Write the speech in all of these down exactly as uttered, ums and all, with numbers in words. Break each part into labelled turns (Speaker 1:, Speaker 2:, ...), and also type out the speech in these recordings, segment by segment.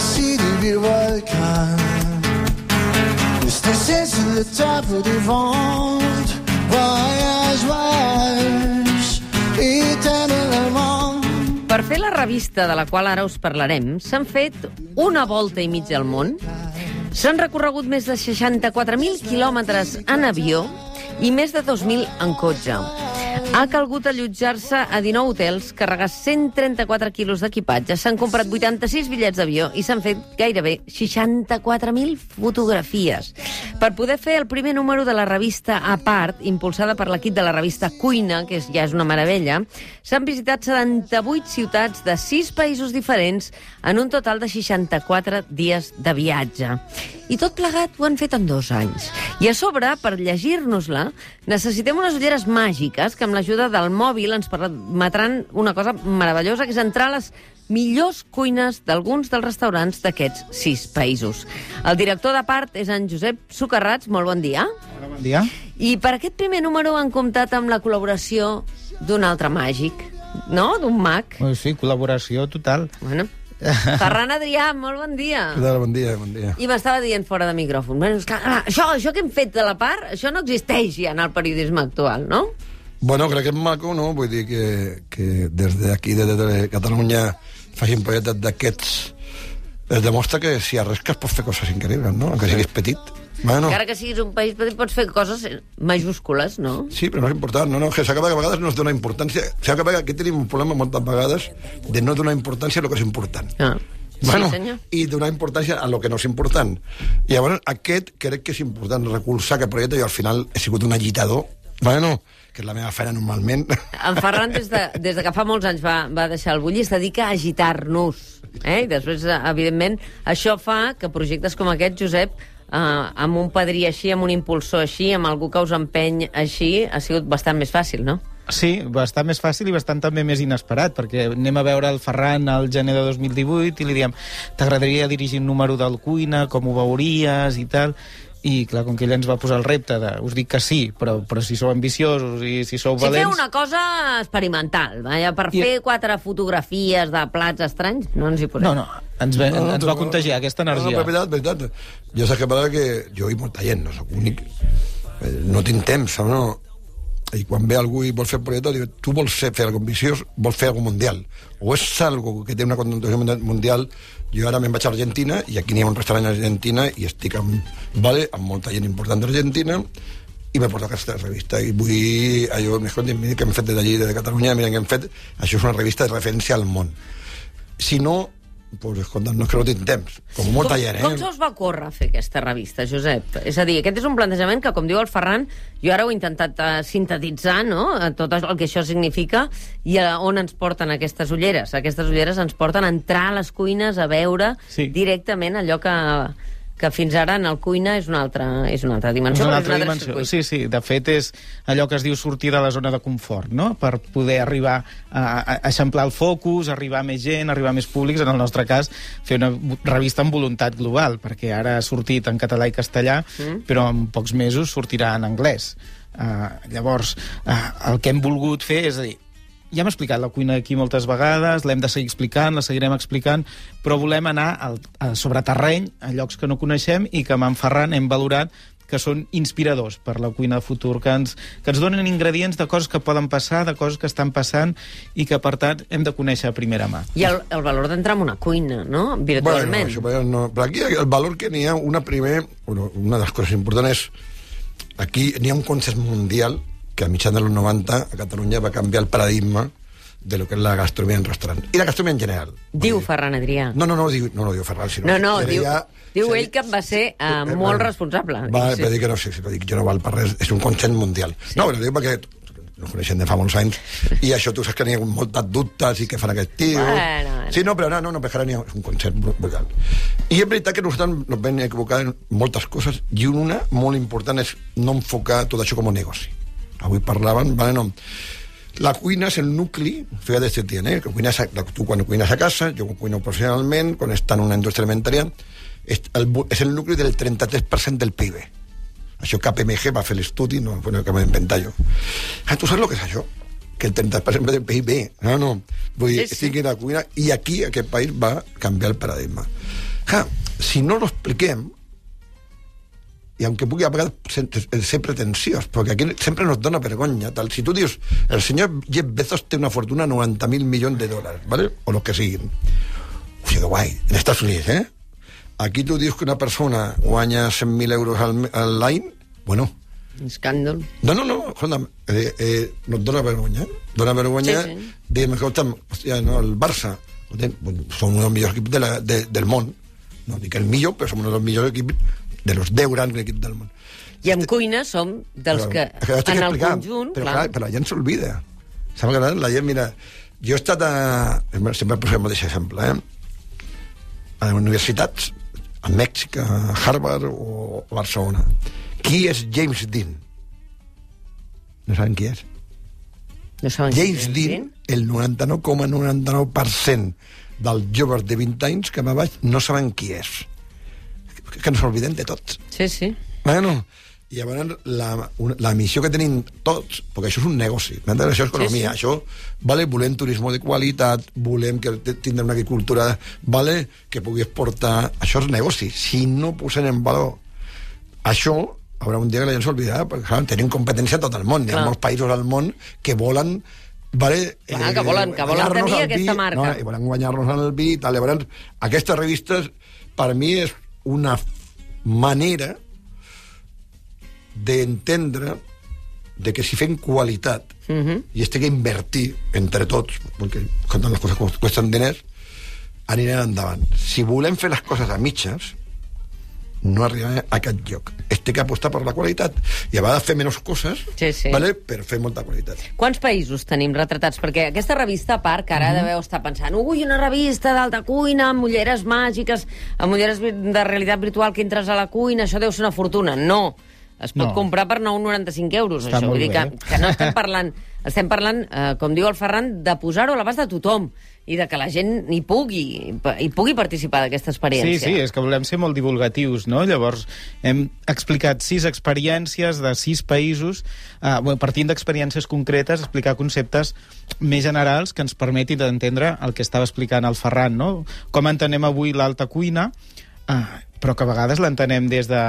Speaker 1: décidé vivre le volcan. Rester sur le top du ventre. Voyage, voyage, éternellement.
Speaker 2: Per fer la revista de la qual ara us parlarem, s'han fet una volta i mitja al món, s'han recorregut més de seixanta-quatre mil quilòmetres en avió i més de dos mil en cotxe. Ha calgut allotjar-se a dinou hotels, carregar cent trenta-quatre quilos d'equipatge, s'han comprat vuitanta-sis bitllets d'avió i s'han fet gairebé seixanta-quatre mil fotografies. Per poder fer el primer número de la revista A Part, impulsada per l'equip de la revista Cuina, que és, ja és una meravella, s'han visitat setanta-vuit ciutats de sis països diferents en un total de seixanta-quatre dies de viatge. I tot plegat ho han fet en dos anys. I a sobre, per llegir-nos-la, necessitem unes ulleres màgiques que amb l'ajuda del mòbil ens permetran una cosa meravellosa, que és entrar a les millors cuines d'alguns dels restaurants d'aquests sis països. El director de Part és en Josep Socarrats. Molt bon dia.
Speaker 3: Hola, bon dia.
Speaker 2: I per aquest primer número han comptat amb la col·laboració d'un altre màgic, no? D'un mag.
Speaker 3: Sí, col·laboració total.
Speaker 2: Bueno... Ferran Adrià, molt bon dia.
Speaker 4: Què tal? Bon dia, bon dia.
Speaker 2: I m'estava dient fora de micròfon, bueno, és que, ah, això, això que hem fet de la Part, això no existeix ja en el periodisme actual, no?
Speaker 4: Bueno, crec que és maco, no? Vull dir que, que des d'aquí, des de Catalunya, facin projectes d'aquests. Es demostra que si arresques pots fer coses increïbles, no? Encara siguis petit. Bueno.
Speaker 2: Encara que siguis un país petit pots fer coses majúscules, no?
Speaker 4: Sí, però no és important. No, no, que s'acaba que a vegades no es dona importància. S'acaba que aquí tenim un problema moltes vegades de no donar importància a lo que és important.
Speaker 2: Ah.
Speaker 4: Bueno,
Speaker 2: sí, senyor.
Speaker 4: I donar importància a lo que no és important. I llavors aquest crec que és important recolzar aquest projecte. Jo al final he sigut un agitador, bueno, que és la meva feina normalment. En
Speaker 2: Ferran, des de, des de que fa molts anys va, va deixar el bullir, es dedica a agitar-nos. Eh? I després, evidentment, això fa que projectes com aquest, Josep, Uh, amb un padrí així, amb un impulsor així, amb algú que us empeny així, ha sigut bastant més fàcil, no?
Speaker 3: Sí, bastant més fàcil i bastant també més inesperat, perquè anem a veure el Ferran al gener de dos mil divuit i li diem, t'agradaria dirigir un número del Cuina, com ho veuries i tal... I, clar, com que ell ens va posar el repte de... Us dic que sí, però, però si sou ambiciosos i si sou valents...
Speaker 2: Si feu una cosa experimental, vaja, per I... fer quatre fotografies de plats estranys, no ens hi posem.
Speaker 3: No, no, ens, ve, no, no ens va contagiar aquesta energia.
Speaker 4: No, no, veritat, veritat. Jo sé que parla que jo i molta gent, no soc únic, no tinc temps, no? I quan ve algú i vol fer projecte, diu, tu vols fer, fer alguna ambiciós, vols fer alguna mundial. O és algo que té una connotació mundial. Jo ara me'n vaig a Argentina, i aquí n'hi ha un restaurant a Argentina, i estic amb, vale, amb molta gent important d'Argentina, i m'he portat aquesta revista. I vull, allò, m'escolti, mira què hem fet des d'allí, de Catalunya, mira què hem fet. Això és una revista de referència al món. Si no, pues, escolta, no és que no tinc temps, com molta
Speaker 2: com,
Speaker 4: gent, eh?
Speaker 2: Com se us va córrer fer aquesta revista, Josep? És a dir, aquest és un plantejament que, com diu el Ferran, jo ara ho he intentat uh, sintetitzar, no?, tot el que això significa, i uh, on ens porten aquestes ulleres. Aquestes ulleres ens porten a entrar a les cuines, a veure sí. directament allò que... que fins ara en el Cuina és una altra, és una altra dimensió.
Speaker 3: És una altra, és una altra dimensió. Sí, sí, de fet és allò que es diu sortir de la zona de confort, no? Per poder arribar a, a eixamplar el focus, arribar a més gent, arribar a més públics, en el nostre cas fer una revista amb voluntat global, perquè ara ha sortit en català i castellà, mm. però en pocs mesos sortirà en anglès. Uh, llavors, uh, el que hem volgut fer és a dir, ja hem explicat la cuina aquí moltes vegades, l'hem de seguir explicant, la seguirem explicant, però volem anar al, a, sobre terreny, a llocs que no coneixem i que amb en Ferran hem valorat que són inspiradors per la cuina de futur, que ens, que ens donen ingredients de coses que poden passar, de coses que estan passant i que, per tant, hem de conèixer a primera mà.
Speaker 2: I el, el valor d'entrar en una cuina, no?, virtualment.
Speaker 4: Bueno, això, no. Però aquí el valor que n'hi ha, una primer, bueno, una de les coses importants és, aquí n'hi ha un consens mundial que a mitjan dels noranta a Catalunya va canviar el paradigma de lo que és la gastronomia en restaurant. I la gastronomia en general.
Speaker 2: Diu dir, Ferran Adrià.
Speaker 4: No, no, no, diu, no, no diu Ferran, sinó...
Speaker 2: No, no, diu,
Speaker 4: ja,
Speaker 2: diu ell dit, que va ser uh, eh, molt eh, responsable.
Speaker 4: Va, sí. Va dir que no sé, sí, va dir que jo no val per res, és un consens mundial. Sí. No, però diu perquè no coneixem de fa molts anys, i això tu saps que n'hi ha moltes dubtes i què fan aquest tio...
Speaker 2: Bueno, bueno.
Speaker 4: Sí, no, però no, no, no perquè ara n'hi ha un consens brutal. I és veritat que nosaltres nos vam equivocar en moltes coses, i una molt important és no enfocar tot això com un negoci. Avui parlaven, vale, no. La cuina és el nucli, fíjate este tien, eh? Que cuines a, tu quan cuines a casa, jo cuino professionalment, quan està en una indústria alimentària, és el, és el nucli del trenta-tres per cent del P I B. Això K P M G va fer l'estudi, no bueno, que m'he inventat jo. Ah, tu saps el que és això? Que el trenta per cent del P I B. No, no. Vull dir, sí, sí. Estic en la cuina, i aquí, aquest país, va canviar el paradigma. Clar, si no lo expliquem, i aunque pugui a vegades ser pretensiós, perquè aquí sempre nos dona vergonya, tal. Si tu dius, el senyor Jeff Bezos té una fortuna de noventa mil milions de dòlars, ¿vale? O los que siguin. Uf, que guai, en Estats Units, ¿eh? Aquí tu dius que una persona guanya cent mil euros al, al l'any, bueno...
Speaker 2: Escàndol.
Speaker 4: No, no, no, escolta'm, eh, eh, nos dona vergonya, dona vergonya, sí, sí. Diem, escolta'm, hòstia, no, el Barça, són un dels millors equips de la, de, del món, no dic el millor, però som un dels millors equips de los deu grans equips del món.
Speaker 2: I en cuina som dels
Speaker 4: però,
Speaker 2: que,
Speaker 4: que
Speaker 2: en el
Speaker 4: explicar,
Speaker 2: conjunt...
Speaker 4: Però,
Speaker 2: clar.
Speaker 4: clar, però la gent s'olvida. Sembla que la gent, mira... Jo he estat a... Sempre posem el mateix exemple, eh? A universitats, a Mèxic, a Harvard o a Barcelona. Qui és James Dean? No saben qui és.
Speaker 2: No saben
Speaker 4: James qui Dean, el noranta-nou coma noranta-nou per cent dels joves de vint anys que me vaig no saben qui és. Que ens oblidem de tots.
Speaker 2: Sí, sí.
Speaker 4: Bueno, i llavors la, la missió que tenim tots, perquè això és un negoci, m'entens? Això és economia, sí, sí. Això, vale, volem turisme de qualitat, volem que tindre una agricultura, vale, que pugui exportar, això és negoci. Si no posem en valor això, haurà un dia que la gent s'oblidarà, perquè clar, tenim competència a tot el món, hi ha molts països al món que volen vale,
Speaker 2: clar, eh, que volen, que volen tenir aquesta marca.
Speaker 4: No, i volen guanyar-nos en el vi, tal, llavors, aquestes revistes per mi és una manera d'entendre de que si fem qualitat uh-huh. i es té que invertir entre tots, perquè quan les coses costen diners, anirem endavant. Si volem fer les coses a mitges, no arribem a aquest lloc. Es té que apostar per la qualitat i a vegades fer menys coses, sí, sí. Vale? Per fer molta qualitat.
Speaker 2: Quants països tenim retratats? Perquè aquesta revista, a part, que ara mm-hmm. deveu estar pensant ui, una revista d'alta cuina, amb ulleres màgiques, amb ulleres de realitat virtual que entres a la cuina, això deu ser una fortuna. No, es pot no. comprar per nou coma noranta-cinc euros.
Speaker 3: Està
Speaker 2: això.
Speaker 3: molt
Speaker 2: Vull dir
Speaker 3: bé.
Speaker 2: que, que no estem parlant, estem parlant eh, com diu el Ferran, de posar-ho a l'abast de tothom i de que la gent hi pugui, hi pugui participar d'aquesta experiència.
Speaker 3: Sí, sí, és que volem ser molt divulgatius, no? Llavors, hem explicat sis experiències de sis països, eh, bueno, partint d'experiències concretes, explicar conceptes més generals que ens permetin d'entendre el que estava explicant el Ferran, no? Com entenem avui l'alta cuina, eh, però que a vegades l'entenem des de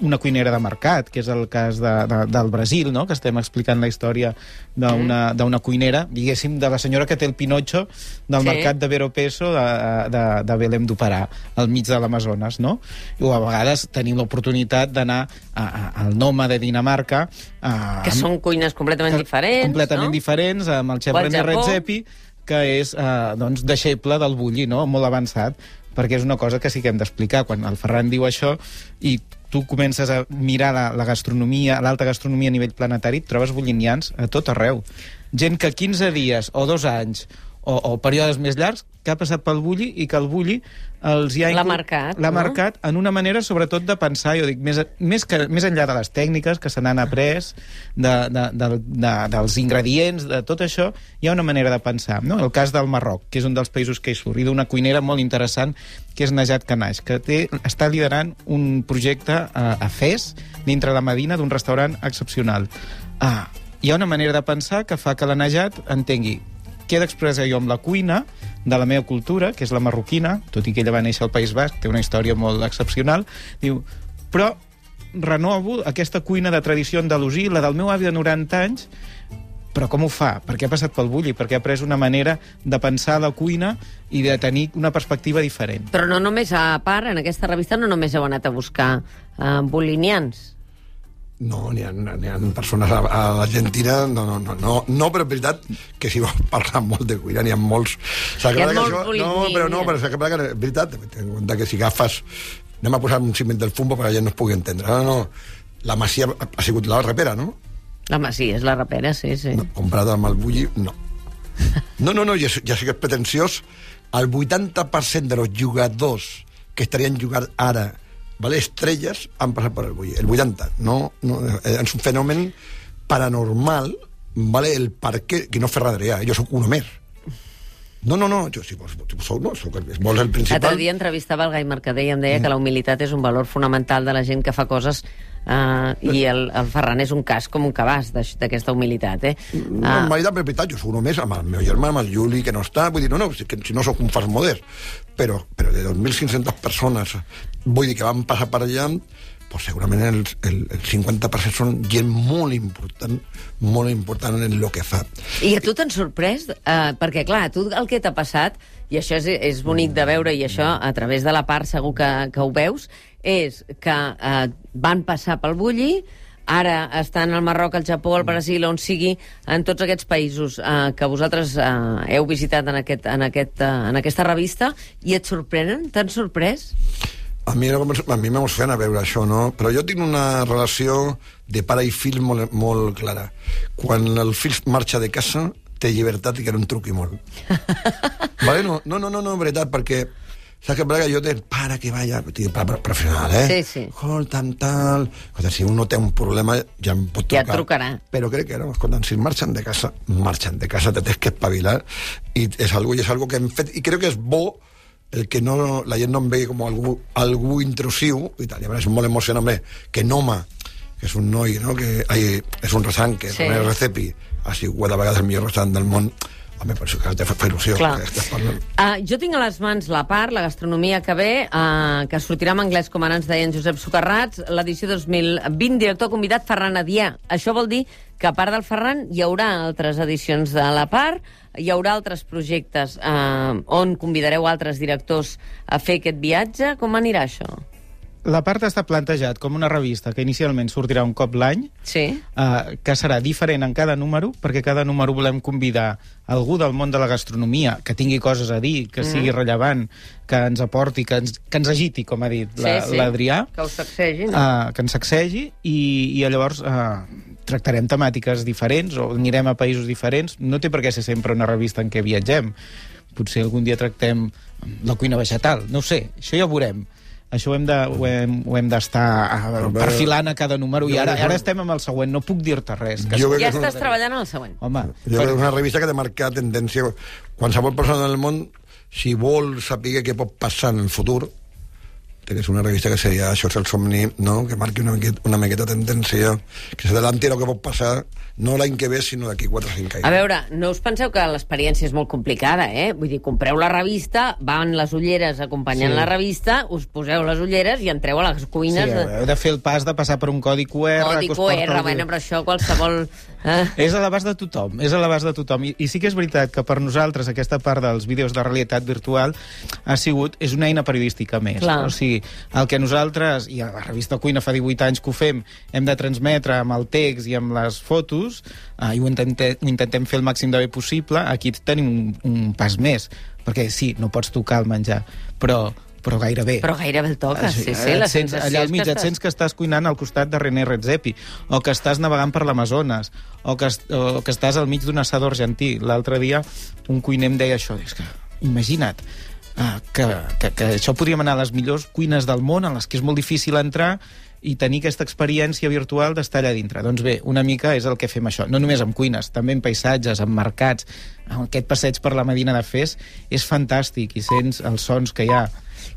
Speaker 3: una cuinera de mercat, que és el cas de, de, del Brasil, no? Que estem explicant la història d'una mm. cuinera, diguéssim, de la senyora que té el Pinocho del sí. mercat de Vero Peso de, de, de Belém do Pará, al mig de l'Amazones, no? O a vegades tenim l'oportunitat d'anar al Noma de Dinamarca... A,
Speaker 2: que són cuines completament que, diferents,
Speaker 3: completament
Speaker 2: no?
Speaker 3: diferents, amb el xef René Redzepi, que és eh, doncs, deixeble del Bulli, no? Molt avançat, perquè és una cosa que sí que hem d'explicar. Quan el Ferran diu això i tu comences a mirar la, la gastronomia, l'alta gastronomia a nivell planetari, et trobes bullinians a tot arreu. Gent que quinze dies o dos anys o, o períodes més llargs que ha passat pel Bulli i que el Bulli els hi ha...
Speaker 2: L'ha marcat,
Speaker 3: L'ha
Speaker 2: no?
Speaker 3: marcat en una manera, sobretot, de pensar, jo dic, més, més, que, més enllà de les tècniques que se n'han après, de, de, de, de, dels ingredients, de tot això, hi ha una manera de pensar, no? El cas del Marroc, que és un dels països que hi surt, i d'una cuinera molt interessant, que és Najat Kanash, que té, està liderant un projecte a, a Fes, dintre la Medina, d'un restaurant excepcional. Ah, hi ha una manera de pensar que fa que la Najat entengui què he d'expressar jo amb la cuina de la meva cultura, que és la marroquina, tot i que ella va néixer al País Basc, té una història molt excepcional, diu, però renovo aquesta cuina de tradició andalusí, la del meu avi de noranta anys, però com ho fa? Perquè ha passat pel Bulli, perquè ha pres una manera de pensar la cuina i de tenir una perspectiva diferent.
Speaker 2: Però no només, a part, en aquesta revista no només heu anat a buscar uh, bullinians.
Speaker 4: No, n'hi ha, n'hi ha persones a, a l'Argentina, no, no, no, no, no, però és veritat que si vols parlar molt de cuina, n'hi ha molts...
Speaker 2: Hi ha molts
Speaker 4: això, no, però no, però és veritat, ten en compte que si agafes... Anem a posar un ciment del fumbo perquè la gent no es pugui entendre. No, no, la Masia ha sigut la rapera, no?
Speaker 2: La Masia és la rapera, sí, sí.
Speaker 4: No, comparada amb el Bulli, no. No, no, no, ja, ja sé que és pretensiós. El vuitanta per cent de los jugadors que estarien jugant ara, vale, estrelles, han passat per el Bulli. El vuitanta. No, no, és un fenomen paranormal, vale, el per què, que no Ferran Adrià, jo sóc un homer. No, no, no, jo, si vols, si sou, no, sou, vols el principal...
Speaker 2: L'altre dia entrevistava el Gai Mercader i em deia mm. que la humilitat és un valor fonamental de la gent que fa coses uh, i el, el Ferran és un cas com un cabàs d'aquesta humilitat, eh? Uh...
Speaker 4: No, en veritat, per veritat, jo sóc només amb el meu germà, amb el Juli, que no està, vull dir, no, no, si, que, si no sóc un fals modest, però, però de dos mil cinc-centes persones, vull dir que van passar per allà, pues segurament el, el, el cinquanta per cent són gent molt important, molt important en el que fa.
Speaker 2: I a tu t'han sorprès? Uh, perquè, clar, a tu el que t'ha passat, i això és, és bonic de veure, i això a través de la part segur que, que ho veus, és que uh, van passar pel Bulli, ara estan al Marroc, al Japó, al Brasil, on sigui, en tots aquests països uh, que vosaltres uh, heu visitat en, aquest, en, aquest, uh, en aquesta revista, i et sorprenen? T'han sorprès?
Speaker 4: A mi, a mi m'emociona a veure això, no? Però jo tinc una relació de pare i fill molt, molt clara. Quan el fill marxa de casa, té llibertat i que no em truqui molt. Vale? No, no, no, no, no, en veritat, perquè saps que, que jo té pare que vaya, pare professional, eh?
Speaker 2: Sí, sí.
Speaker 4: Escolta'm, tal... Escolta, si un no té un problema, ja em pot trucar.
Speaker 2: Ja et trucarà.
Speaker 4: Però crec que no, escolta, si marxen de casa, marxen de casa, te tens que espavilar, i és algo, i és algo que hem fet, i crec que és bo el que no, la gent no em vegi com algú, algú intrusiu, i tal, i a veure, és molt emocionant, que Noma, que és un noi, no? Que, ai, és un restaurant que sí. El Recepi ha sigut de vegades el millor restaurant del món, home, per això que te fa il·lusió. Que
Speaker 2: uh, jo tinc a les mans la part, la gastronomia que ve, uh, que sortirà en anglès, com ara ens deia en Josep Socarrats, l'edició dos mil vint, director convidat Ferran Adrià. Això vol dir que a part del Ferran hi haurà altres edicions de la part, hi haurà altres projectes eh, on convidareu altres directors a fer aquest viatge. Com anirà això?
Speaker 3: La part està plantejat com una revista que inicialment sortirà un cop l'any,
Speaker 2: sí.
Speaker 3: eh, que serà diferent en cada número, perquè cada número volem convidar algú del món de la gastronomia que tingui coses a dir, que mm. sigui rellevant, que ens aporti, que ens, que ens agiti, com ha dit l'Adrià.
Speaker 2: Sí, sí. Que us sacsegi, no?
Speaker 3: Uh, que ens sacsegi, i, i llavors uh, tractarem temàtiques diferents, o anirem a països diferents. No té per què ser sempre una revista en què viatgem. Potser algun dia tractem la cuina vegetal, no ho sé, això ja ho veurem. Això ho hem de, ho hem, ho hem d'estar uh, perfilant a cada número, i ara, ara estem amb el següent, no puc dir-te res. Que
Speaker 2: ja estàs treballant en el següent.
Speaker 3: Home,
Speaker 4: jo crec que és una revista que ha de marcar tendència. Qualsevol persona del món, si vol saber què pot passar en el futur, té que ser una revista que seria Això és el somni, no? Que marqui una miqueta, una miqueta tendència, que s'adelanti el que pot passar, no l'any que ve, sinó d'aquí quatre o cinc anys.
Speaker 2: A veure, no us penseu que l'experiència és molt complicada, eh? Vull dir, compreu la revista, van les ulleres acompanyant sí. la revista, us poseu les ulleres i entreu a les cuines.
Speaker 3: Sí, heu de fer el pas de passar per un codi Q R.
Speaker 2: Codi Q R, bueno, però això qualsevol... Eh?
Speaker 3: És a l'abast de tothom, és a l'abast de tothom. I, I sí que és veritat que per nosaltres aquesta part dels vídeos de realitat virtual ha sigut, és una eina periodística més.
Speaker 2: Clar.
Speaker 3: O sigui, el que nosaltres, i a la revista Cuina fa divuit anys que ho fem, hem de transmetre amb el text i amb les fotos, eh, i ho intentem, ho intentem fer el màxim de bé possible. Aquí tenim un, un pas més, perquè sí, no pots tocar el menjar, però però gairebé.
Speaker 2: Però gairebé el toques, sí, sí, la
Speaker 3: sensació allà al mig, et sents que estàs cuinant al costat de René Redzepi, o que estàs navegant per l'Amazones, o, que, o que estàs al mig d'un assador argentí. L'altre dia un cuiner em deia això, és que, imagina't, uh, que, que, que això podríem anar a les millors cuines del món, en les que és molt difícil entrar, i tenir aquesta experiència virtual d'estar allà dintre. Doncs bé, una mica és el que fem això. No només amb cuines, també en paisatges, en mercats. Aquest passeig per la Medina de Fes és fantàstic, i sents els sons que hi ha.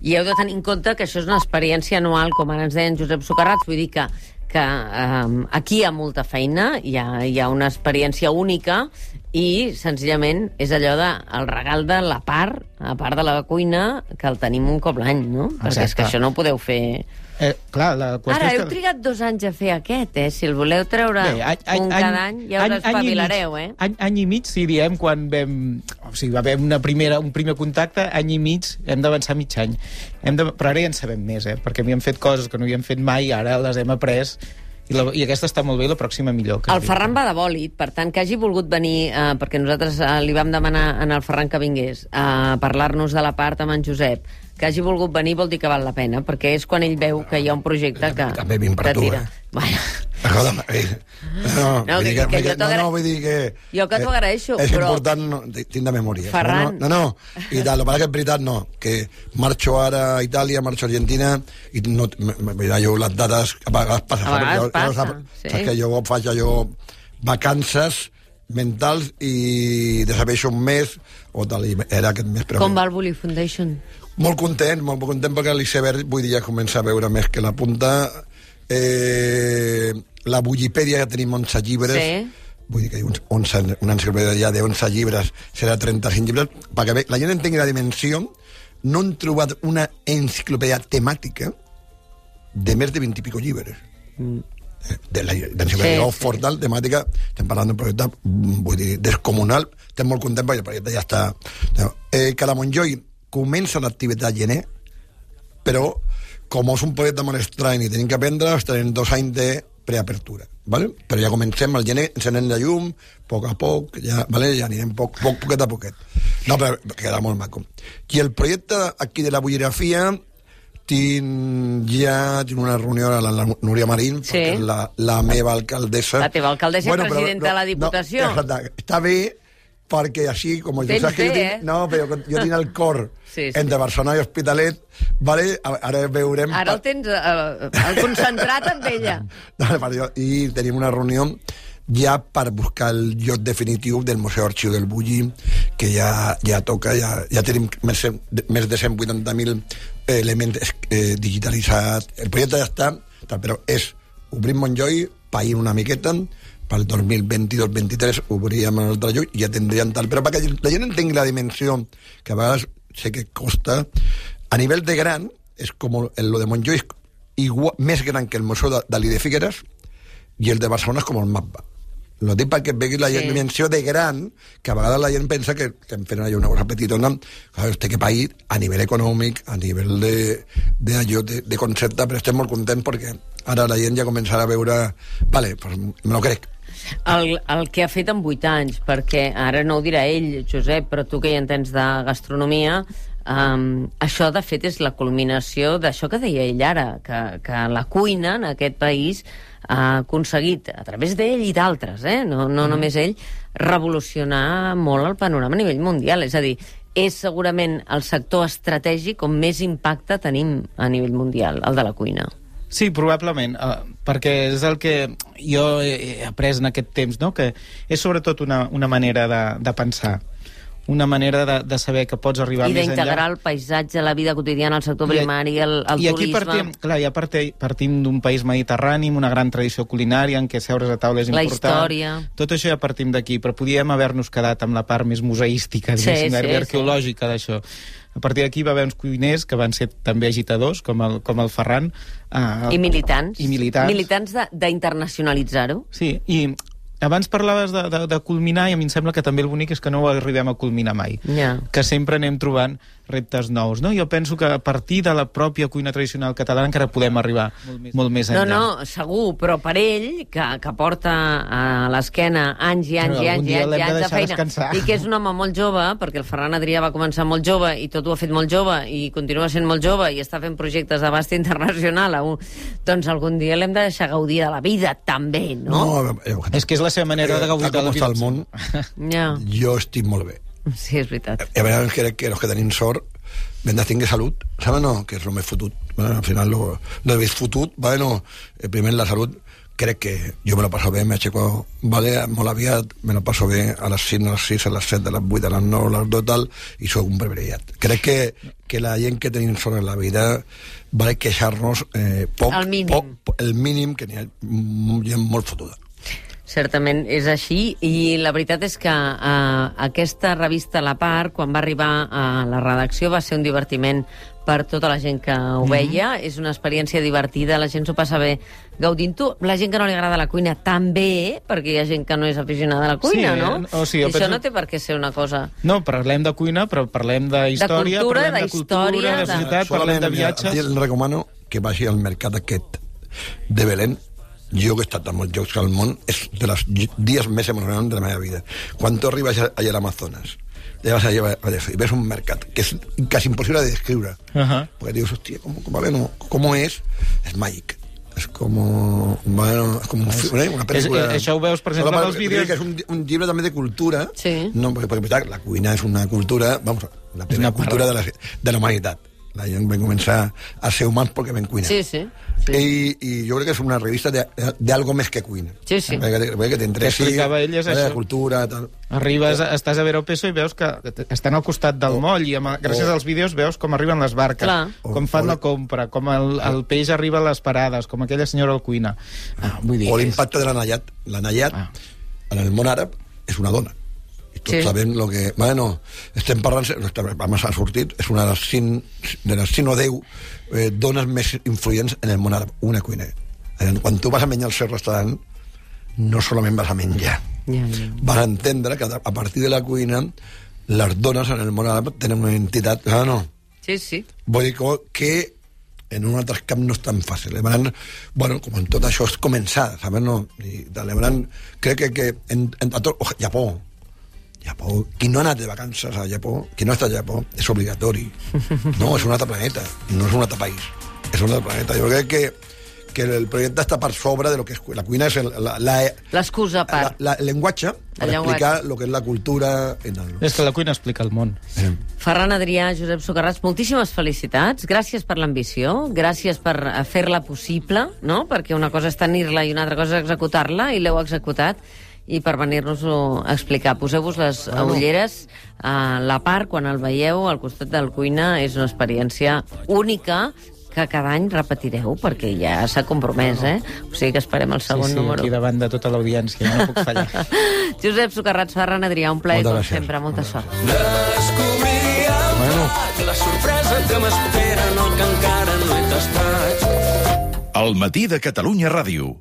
Speaker 2: I heu de tenir en compte que això és una experiència anual, com ara ens deien Josep Socarrats, vull dir que, que um, aquí hi ha molta feina, hi ha, hi ha una experiència única, i senzillament és allò de el regal de la part, a part de la cuina, que el tenim un cop l'any, no? Exacte. Perquè és que això no ho podeu fer...
Speaker 3: Eh, clar, la
Speaker 2: Ara, heu
Speaker 3: que...
Speaker 2: trigat dos anys a fer aquest, eh? Si el voleu treure Bé, any, any, un cada any, ja us espavilareu, eh?
Speaker 3: Any, any i mig, si diem, quan vam... O sigui, va haver una primera, un primer contacte, any i mig, hem d'avançar mig any. Hem de... Però ara ja en sabem més, eh? Perquè havíem fet coses que no havíem fet mai, ara les hem après, i, la... i aquesta està molt bé, i la pròxima millor.
Speaker 2: El Ferran va de bòlit, per tant, que hagi volgut venir, eh, perquè nosaltres eh, li vam demanar en el Ferran que vingués a parlar-nos de la part amb en Josep, que hagi volgut venir vol dir que val la pena, perquè és quan ell veu que hi ha un projecte que,
Speaker 4: també vinc per
Speaker 2: que
Speaker 4: tu,
Speaker 2: tira.
Speaker 4: Eh?
Speaker 2: Bueno.
Speaker 4: Perdona, eh, no,
Speaker 2: no, que,
Speaker 4: que,
Speaker 2: que, que
Speaker 4: no, no, vull dir que...
Speaker 2: Jo que t'ho agraeixo,
Speaker 4: és
Speaker 2: però...
Speaker 4: important, no, tinc de memòria.
Speaker 2: Ferran...
Speaker 4: No, no, no, i tal, el que és veritat, no, que marxo ara a Itàlia, marxo a Argentina, i no, mira, jo les dates a vegades passa,
Speaker 2: a vegades
Speaker 4: jo,
Speaker 2: passa,
Speaker 4: jo,
Speaker 2: sí.
Speaker 4: Saps que jo faig allò vacances mentals i desapareixo un mes o tal, i era aquest mes. Però
Speaker 2: Com va el Bully Foundation?
Speaker 4: Molt content, molt content perquè l'iceberg vull dir ja comença a veure més que la punta. Eh, la Bullipèdia ja tenim onze llibres.
Speaker 2: Sí.
Speaker 4: Vull dir que hi ha onze, una enciclopèdia de onze llibres, serà trenta-cinc llibres, perquè la gent entengui la dimensió. No han trobat una enciclopèdia temàtica de més de vint i pico llibres. Mm. De l'enciclopèdia sí, Oxford, sí. temàtica, estem parlant d'un projecte, vull dir, descomunal. Estem molt contents perquè el projecte ja està... Eh, cada Montjoi comença l'activitat gener, però com és un projecte molt estrany i tenim que aprendre, estarem dos anys de preapertura, ¿vale? Però ja comencem al gener, encenem la llum, a poc a poc, ja, ¿vale? Ja anirem poc, poc, poquet a poquet. No, però queda molt maco. I el projecte aquí de la bullirafia, tinc ja tinc una reunió amb la, la Núria Marín, sí. perquè és la, la meva alcaldessa.
Speaker 2: La teva alcaldessa bueno, i presidenta no, de la Diputació. No, exacte,
Speaker 4: està bé, perquè així, com jo saps que jo tinc, eh? No, però jo tinc el cor sí, sí. entre Barcelona i Hospitalet, vale? Ara veurem...
Speaker 2: Ara el tens uh, el concentrat amb ella.
Speaker 4: No, i tenim una reunió ja per buscar el lloc definitiu del Museu Arxiu del Bulli, que ja, ja toca, ja, ja tenim més, més de cent vuitanta mil elements eh, digitalitzats. El projecte ja està, però és obrir Montjoi, pair una miqueta, pel dos mil vint-dos vint-i-tres obríem el altre lloc i ja tindríem tal, però perquè la gent entengui la dimensió, que a vegades sé que costa, a nivell de gran, és com el de Montjoi, igual, més gran que el Museu de Dalí de Figueres, i el de Barcelona és com el mapa. Lo dic perquè vegi la sí. dimensió de gran, que a vegades la gent pensa que estem fent allà una cosa petitona, clar, té que pair a nivell econòmic, a nivell de, de, allò, de, de concepte, però estem molt contents perquè ara la gent ja començarà a veure, vale, pues me lo crec.
Speaker 2: El, el que ha fet en vuit anys, perquè ara no ho dirà ell, Josep, però tu que hi entens de gastronomia, um, això de fet és la culminació d'això que deia ell ara, que, que la cuina en aquest país ha aconseguit, a través d'ell i d'altres, eh? no, no mm. només ell, revolucionar molt el panorama a nivell mundial. És a dir, és segurament el sector estratègic on més impacte tenim a nivell mundial, el de la cuina.
Speaker 3: Sí, probablement, uh, perquè és el que jo he après en aquest temps, no? Que és sobretot una, una manera de, de pensar, una manera de, de saber que pots arribar
Speaker 2: I
Speaker 3: més enllà. I
Speaker 2: d'integrar el paisatge, la vida quotidiana, el sector primari, el, el
Speaker 3: I
Speaker 2: turisme...
Speaker 3: aquí partim, clar, ja partim, partim d'un país mediterrani, amb una gran tradició culinària, en què seure's a taula és
Speaker 2: la
Speaker 3: important. La
Speaker 2: història...
Speaker 3: Tot això ja partim d'aquí, però podíem haver-nos quedat amb la part més museística, sí, sí, arqueològica sí. d'això. A partir d'aquí va haver uns cuiners que van ser també agitadors, com el, com el Ferran. Uh,
Speaker 2: I militants.
Speaker 3: I militants.
Speaker 2: Militants d'internacionalitzar-ho.
Speaker 3: Sí, i abans parlaves de, de, de culminar, i a mi em sembla que també el bonic és que no ho arribem a culminar mai.
Speaker 2: Yeah.
Speaker 3: Que sempre anem trobant reptes nous, no? Jo penso que a partir de la pròpia cuina tradicional catalana encara podem arribar molt més, molt més enllà.
Speaker 2: No, no, segur, però per ell, que, que porta a l'esquena anys i anys no, i anys i anys, i anys de feina, descansar. I que és un home molt jove, perquè el Ferran Adrià va començar molt jove i tot ho ha fet molt jove i continua sent molt jove i està fent projectes d'abast internacional, doncs algun dia l'hem de deixar gaudir de la vida, també, no?
Speaker 4: No, eh,
Speaker 3: és que és la seva manera de gaudir de la vida.
Speaker 4: Com està el món,
Speaker 2: ja.
Speaker 4: jo estic molt bé.
Speaker 2: Sí, és veritat.
Speaker 4: A vegades crec que els que tenim sort hem de tenir salut, saben no? Que és el més fotut. Bueno, al final lo, lo més fotut, bueno, primer la salut, crec que jo me lo paso bé, me aixeco vale, molt aviat, me lo paso bé a les cinc, a les sis, a les set, a les vuit, a les nou, a les dos, tal, i soc un privilegiat. Crec que, que la gent que tenim sort en la vida vale queixar-nos eh, poc,
Speaker 2: el mínim.
Speaker 4: Poc, el mínim, que n'hi ha gent molt fotuda.
Speaker 2: Certament és així, i la veritat és que eh, aquesta revista La Part, quan va arribar a la redacció, va ser un divertiment per tota la gent que ho veia. Mm-hmm. És una experiència divertida, la gent s'ho passa bé gaudint-ho. La gent que no li agrada la cuina també, perquè hi ha gent que no és aficionada a la cuina,
Speaker 3: sí,
Speaker 2: no?
Speaker 3: O sigui,
Speaker 2: I això
Speaker 3: penso...
Speaker 2: no té per què ser una cosa...
Speaker 3: No, parlem de cuina, però parlem d'història,
Speaker 2: de cultura,
Speaker 3: parlem de cultura, de, de societat, de... parlem de viatges...
Speaker 4: A ti recomano que vagi al mercat aquest de Belén. Jo que he estat a molts llocs al món, és de els dies més emocionants de la meva vida. Quan tu arribes allà a l'Amazones, vas allà i ves un mercat que és quasi impossible de descriure, uh-huh. perquè dius, hòstia, com, com, vale, no, com és? És màgic. És com, bueno, és com un, és, una pel·lícula...
Speaker 3: És, això ho veus, per exemple, en els vídeos...
Speaker 4: És un, un llibre també de cultura,
Speaker 2: sí.
Speaker 4: no, perquè, perquè la cuina és una cultura, vamos, la primera cultura de la, de la humanitat. La gent va començar a ser humans perquè vam cuinar.
Speaker 2: Sí, sí. sí.
Speaker 4: I, I jo crec que és una revista de, de algo més que cuina.
Speaker 2: Sí, sí.
Speaker 4: Perquè, perquè t'interessi
Speaker 3: explicava ell és
Speaker 4: la
Speaker 3: això.
Speaker 4: cultura... Tal.
Speaker 3: Arribes, estàs a Veropeso i veus que estan al costat del
Speaker 4: Oh.
Speaker 3: moll i amb, gràcies
Speaker 4: Oh.
Speaker 3: als vídeos veus com arriben les barques,
Speaker 2: Clar.
Speaker 3: com
Speaker 4: Oh.
Speaker 3: fan la compra, com el, el peix arriba a les parades, com aquella senyora al cuina. Ah, vull dir,
Speaker 4: O
Speaker 3: és-
Speaker 4: l'impacte de la Nayat. La Nayat,
Speaker 3: Ah.
Speaker 4: en el món àrab, és una dona. I tots
Speaker 2: Sí.
Speaker 4: sabem lo que... Bueno, estem parlant... Abans ha sortit, és una de les cinc, de les cinc o deu eh, dones més influents en el món àrab. Una cuiner. Quan tu vas a menjar al seu restaurant, no solament vas a menjar.
Speaker 2: Ja, ja.
Speaker 4: Vas a entendre que a partir de la cuina les dones en el món àrab tenen una entitat... Ah, no.
Speaker 2: Sí, sí.
Speaker 4: Vull dir que, que en un altre camp no és tan fàcil. Llavors, bueno, com en tot això és començar, saps? No? I, llavors, crec que, que en, en, a tot, oh, Japó, Japó, qui no ha anat de vacances a Japó, qui no ha estat a Japó, és obligatori. No, és un altre planeta, no és un altre país, és un altre planeta. Jo crec que, que el projecte està per sobre de lo que és la cuina, és el, la, la,
Speaker 2: L'excusa a
Speaker 4: la,
Speaker 2: part.
Speaker 4: la, el llenguatge per
Speaker 2: El
Speaker 4: explicar
Speaker 2: llenguatge.
Speaker 4: el que és la cultura. En el...
Speaker 3: És que la cuina explica el món.
Speaker 4: Eh.
Speaker 2: Ferran Adrià, Josep Socarrats, moltíssimes felicitats. Gràcies per l'ambició, gràcies per eh, fer-la possible, no? Perquè una cosa és tenir-la i una altra cosa és executar-la, i l'heu executat, i per venir-nos-ho a explicar. Poseu-vos les
Speaker 4: Bueno.
Speaker 2: ulleres a la part, quan el veieu al costat del cuina, és una experiència única que cada any repetireu, perquè ja s'ha compromès, eh? O sigui que esperem el segon
Speaker 3: sí, sí,
Speaker 2: número.
Speaker 3: aquí davant de tota l'audiència, no puc fallar.
Speaker 2: Josep Socarrats, Ferran Adrià, un plaer,
Speaker 4: Moltes
Speaker 2: com
Speaker 4: gràcies.
Speaker 2: sempre. Molta sort.
Speaker 5: Descobriríem
Speaker 4: Bueno.
Speaker 5: la sorpresa que m'espera, no, que encara no he tastat.
Speaker 6: El matí de Catalunya Ràdio.